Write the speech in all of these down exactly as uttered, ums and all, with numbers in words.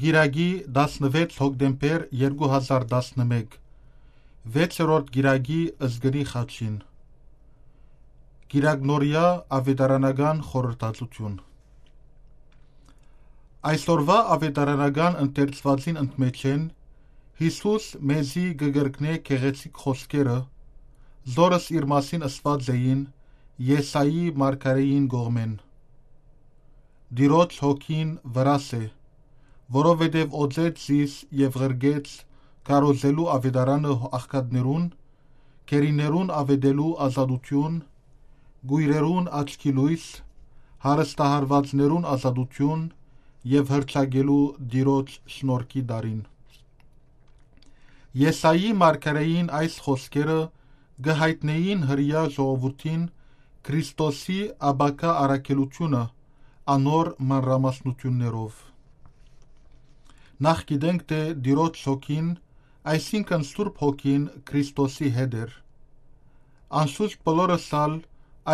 Կիրակի, տասնեւեթ հոկտեմբեր երկու հազար տասնմեկ, վեցերորդ կիրակի Զգնի խաչին։ Կիրակնորեայ աւետարանական խորհրդածութիւն։ Այսօրուայ աւետարանական ընթերցուածին ընդմէջէն Յիսուս մեզի կը կրկնէ գեղեցիկ խօսքերը, զորս իր մասին ըսուած էին Եսայի մարգարէին կողմէն. «Տիրոջ հոգին վրաս է, որովհետեւ օծեց զիս եւ ղրկեց քարոզելու աւետարանը աղքատներուն, գերիներուն աւետելու ազատութիւն, կոյրերուն աչքի լոյս, հարստահարուածներուն ազատութիւն եւ հռչակելու Տիրոջ շնորհքի տարին»։ Եսայի մարգարէին այս խօսքերը կը յայտնէին Հրեայ ժողովուրդին Քրիստոսի ապագայ առաքելութիւնը անոր մանրամասնութիւններով։ Նախ գիտենք թէ Տիրոջ հոգին, այսինքն Սուրբ Հոգին Քրիստոսի հետ էր։ Անշուշտ բոլորս ալ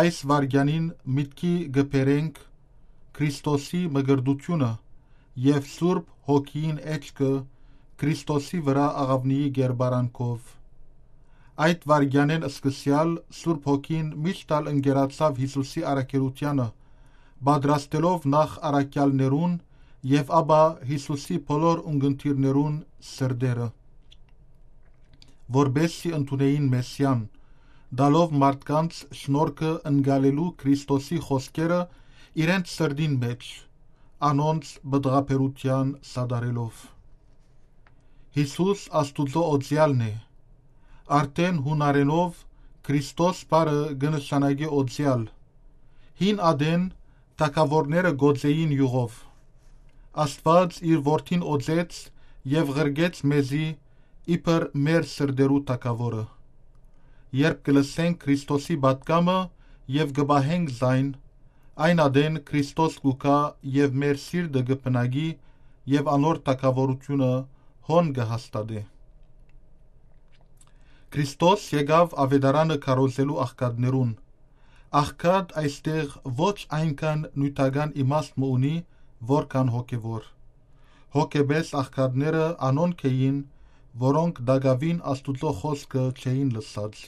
այս վայրկեանին միտքի կը բերենք Քրիստոսի մկրտութիւնը եւ Սուրբ Հոգիին էջքը Քրիստոսի վրայ աղաւնիի կերպարանքով։ Այդ վայրկեանէն սկսեալ Սուրբ Հոգին միշտ ալ ընկերացաւ Յիսուսի առաքելութեանը, պատրաստելով նախ առաքեալներուն եւ ապա Յիսուսի բոլոր ունկնդիրներուն սրտերը, որպեսզի ընդունէին Մեսիան, տալով մարդկանց շնորհքը ընկալելու Քրիստոսի խօսքերը իրենց սրտին մէջ, անոնց պտղաբերութեան սատարելով։ Յիսուս Աստուծոյ օծեալն է։ Արդէն յունարէնով Քրիստոս բառը կը նշանակէ օծեալ։ Հին ատեն թագաւորները կ'օծէին իւղով։ Աստուած իր որդին օծեց եւ ղրկեց մեզի իբր մեր սրտերու թագաւորը։ Երբ կը լսենք Քրիստոսի պատգամը եւ կը պահենք զայն, այն ատեն Քրիստոս կու գայ եւ մեր սիրտը կը բնակի եւ անոր թագաւորութիւնը հոն կը հաստատէ։ Քրիստոս եկաւ աւետարանը քարոզելու աղքատներուն։ Աղքատ այստեղ ոչ այնքան նիւթական իմաստ մը ունի, որքան հոգեւոր։ Հոգեպէս աղքատները անոնք էին, որոնք տակաւին Աստուծոյ խօսքը չէին լսած։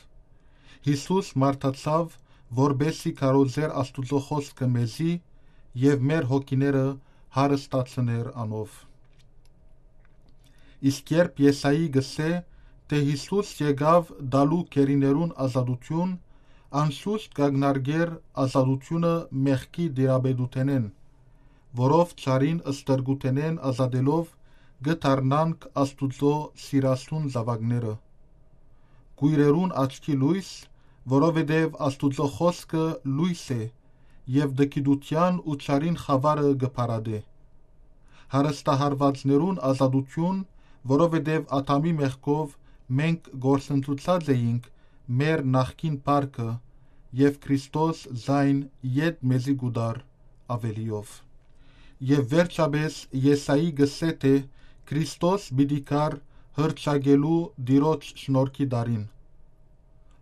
Յիսուս մարդացաւ, որպեսզի քարոզէր Աստուծոյ խօսքը մեզի եւ մեր հոգիները հարստացնէր անով։ Իսկ երբ Եսայի կ'ըսէ թէ Յիսուս եկաւ տալու գերիներուն ազատութիւն, անշուշտ կ'ակնարկէր ազատութիւնը մեղքի տիրապետութենէն, որով չարին ստրկութենէն ազատելով կը դառնանք Աստուծոյ սիրասուն զաւակները։ Կոյրերուն աչքի լոյս, որովհետեւ Աստուծոյ խօսքը լոյս է եւ տգիտութեան ու չարին խաւարը կը փարատէ։ Հարստահարուածներուն ազատութիւն, որովհետեւ Ադամի մեղքով մենք կորսնցուցած էինք մեր նախկին փառքը, եւ Քրիստոս զայն յետ մեզի կու տար աւելիով։ Եւ վերջապէս Եսայի կ'ըսէ թէ Քրիստոս պիտի գար հռչակելու Տիրոջ շնորհքի տարին։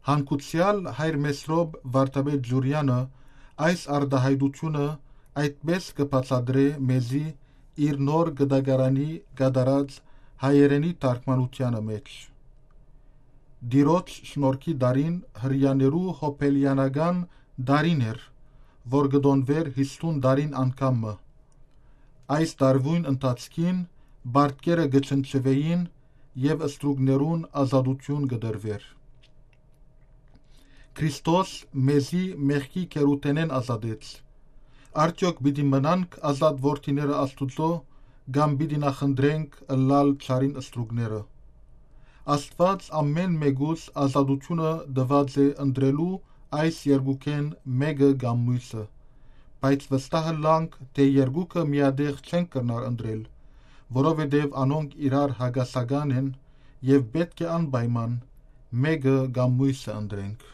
Հանգուցեալ հայր Մեսրոպ վարդապետ Ջուրեանը այս արտայայտութիւնը այդպէս կը բացատրէ մեզի իր նոր կտակարանի կատարած հայերէնի թարգմանութեանը մէջ. «Տիրոջ շնորհքի տարին հրեաներու յոբելեանական տարին էր, որ կը տօնուէր յիսուն տարին անգամ մը։ Այս տարուին ընթացքին պարտքերը կը չնչուէին եւ ստրուկներուն ազատութիւն կը տրուէր»։ Քրիստոս մեզի մեղքի գերութենէն ազատեց։ Արդեօք պիտի մնանք ազատ որդիները Աստուծոյ, կամ պիտի նախընտրենք ըլլալ չարին ստրուկները։ Աստուած ամէն մէկուս ազատութիւնը տուած է ընտրելու այս երկուքէն մէկը կամ միւսը, բայց վստահ ըլլանք թէ երկուքը միատեղ չենք կրնար ընտրել, որովհետեւ անոնք իրար հակասական են եւ պէտք է անպայման մէկը կամ միւսը ընտրենք։